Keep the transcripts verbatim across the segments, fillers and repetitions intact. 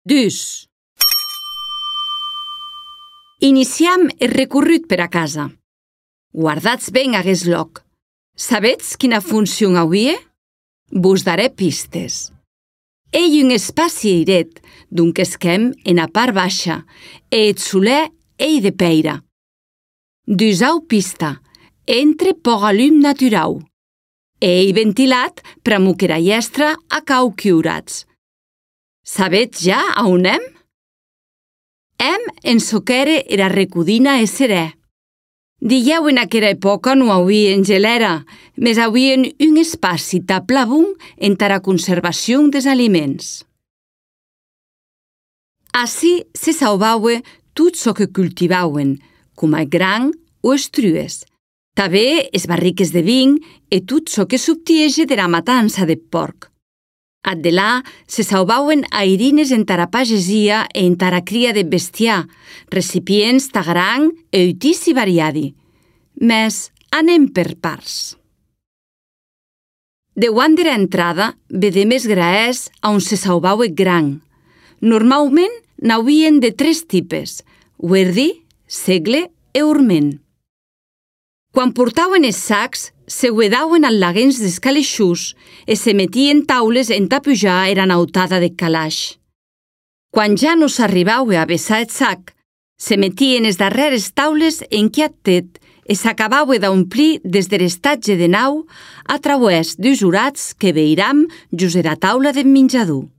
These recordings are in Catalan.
Dus. Iniciam el recorregut per a casa. Guardatz ben aguest loc. Sabetz quina funció auie? Vos daré pistes. Ei un espaci airet, d'un qu'esquem en a part baixa, e eth solèr ei de peira. Dusau pista, entre poca llum naturau. Ei ventilat per amuc era iestra a cau quiurats. Sabetz ja a on hem? Hem en soquere era recudina e serè. Dilhèu en aquera època no auien gelera, mes auien un espaci taplabun entara conservacion des aliments. Ací se sauvaue tot çò que cultivauen, coma gran o estrues, tanben es barriques de vin e tot çò que s'obtiege dera matança de porc. Ad delà se sauvauen airines entara pagesia e entara cria de bestiar, recipients ta gran e utici variadi. Mes anem per parts. Deuant dera entrada, vedem es graès a on se sauvaue gran. Normalment n'auien de tres tipes, huerdi, segle e urment. Quan portauen es sacs, se huedauen al laguens d'escaleixús e se metien taules entà pujar era nautada de calaix. Quan ja no s'arribaue a vessar eth sac, se metien es darreres taules enquiat tet e s'acabaue d'omplir des der estatge de nau a través dus urats que veiram just era taula de menjador.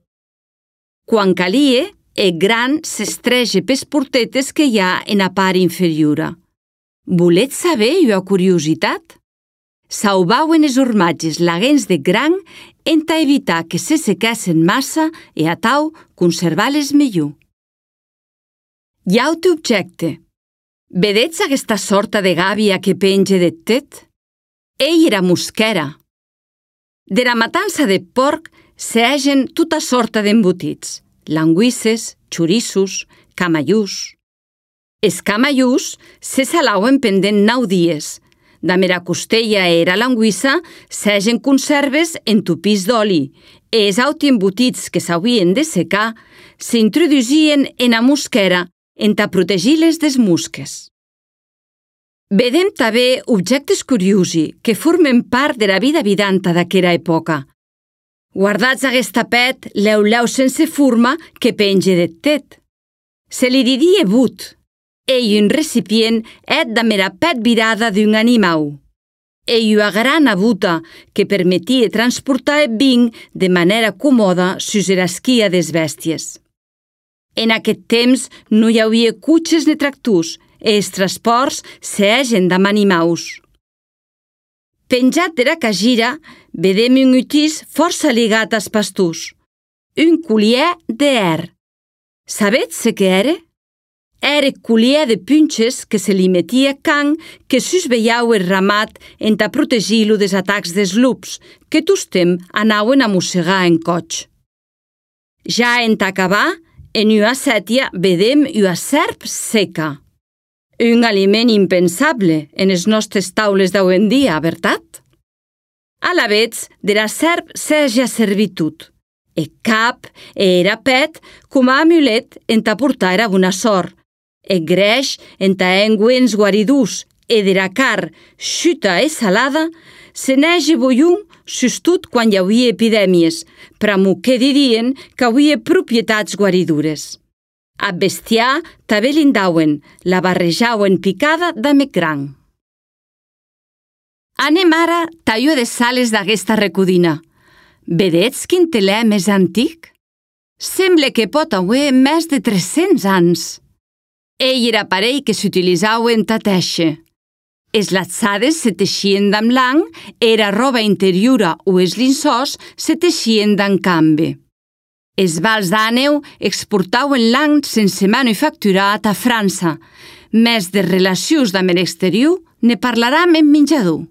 Quan calie, eth gran s'estrege pes portetes que hi ha en a part inferiora. Voletz saber ua curiositat? Sauvauen es ormatges laguens de gran entà evitar que se sequessen massa e atau conservar-les millor. Iaute objecte. Vedetz aguesta sorta de gàbia que penge deth tet? Ei era mosquera. Dera matança de porc s'hegen tota sorta d'embotits, languisses, xorissos, camallús. Es camallús se salauen pendent nau dies. Damb era costella e era languissa s'hegen conserves entupís d'oli e es auti embotits que s'auien de secar s'introdusien ena mosquera entà protegir-les des mosques. Vedem tanben objectes curiosi que formen part dera vida vidanta d'aquera època. Guardatz aguest tapet leu-leu sense forma que penge deth tet. Se li didie but. Ei un recipient et damb era pet virada d'un animau. Ei ua grana buta que permetie transportar eth vin de manera comoda sus era esquia des bèsties. En aquest temps no hi auie cotxes ni tractors e els transports s'hegen damb animaus. Penjat dera cagira, vedem un utís força ligat als pastors, un collier d'er. Sabetz se què ère? Ère collier de punxes que se li metia can que susveiau el ramat entà protegir-lo des atacs des lups, que tostem anauen a mossegar en coig. Ja entà acabar, en ua sètia vedem ua serp seca. Un aliment impensable en es nostres taules d'avui en dia, vertat? Alavetz, dera serp s'hège servit tot. E cap e era pet coma amulet entà portar era bona sort. E greix entà engüents guaridors e dera car xuta e salada se n'hège boion sus tot quan hi auie epidèmies, pr'amor que didien que auie propietats guaridores. A bestiar tanben lindauen, la barrejauen picada damb eth gran. Anem ara tallo de sales d'aguesta recudina. Vedetz quin telè més antic? Semble que pot auer més de tres-cents ans. Ei era aparell que s'utilisaue entà tèixer. Es latzades se teixien damb lang e era roba interiora o es linçòs se teixien damb cambe. Es vals d'àneu exportauen lang sense manufacturar a França, mes de relacions damb l'exterior ne parlaram en menjador.